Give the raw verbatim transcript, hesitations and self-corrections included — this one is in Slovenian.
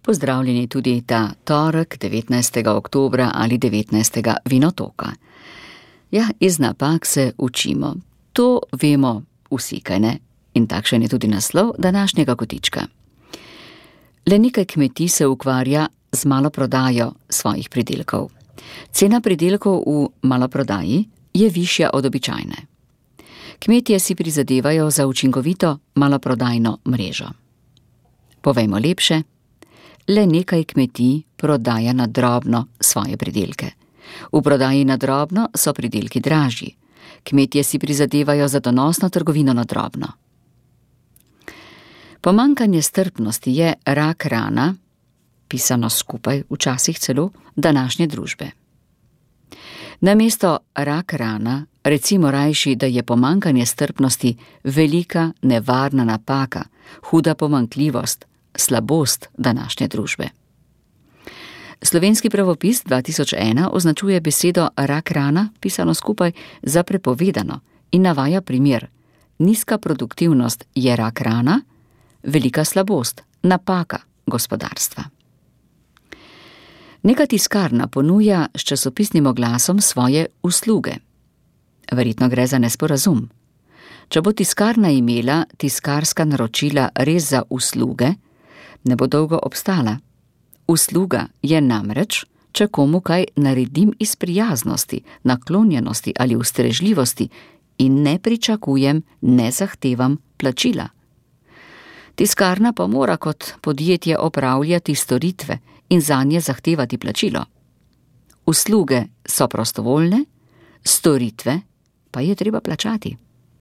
Pozdravljeni tudi ta torek, devetnajstega oktobra ali devetnajstega vinotoka. Ja, iz napak se učimo. To vemo vsi, kaj ne? In takšen je tudi naslov današnjega kotička. Le nekaj kmetij se ukvarja z maloprodajo svojih pridelkov. Cena pridelkov v maloprodaji je višja od običajne. Kmetje si prizadevajo za učinkovito maloprodajno mrežo. Povejmo lepše, le nekaj kmetij prodaja na drobno svoje pridelke. V prodaji na drobno so pridelki dražji. Kmetje si prizadevajo za donosno trgovino na drobno. Pomanjkanje strpnosti je rak rana, pisano skupaj, včasih celo današnje družbe. Namesto rak rana recimo rajši, da je pomanjkanje strpnosti velika nevarna napaka, huda pomanjkljivost, slabost današnje družbe. Slovenski pravopis dva tisoč ena označuje besedo rak rana, pisano skupaj, za prepovedano in navaja primer: nizka produktivnost je rak rana, velika slabost, napaka gospodarstva. Neka tiskarna ponuja s časopisnim oglasom svoje usluge. Verjetno gre za nesporazum. Če bo tiskarna imela tiskarska naročila res za usluge, ne bo dolgo obstala. Usluga je namreč, če komu kaj naredim iz prijaznosti, naklonjenosti ali ustrežljivosti in ne pričakujem, ne zahtevam plačila. Tiskarna pa mora kot podjetje opravljati storitve in zanje zahtevati plačilo. Usluge so prostovoljne, storitve pa je treba plačati.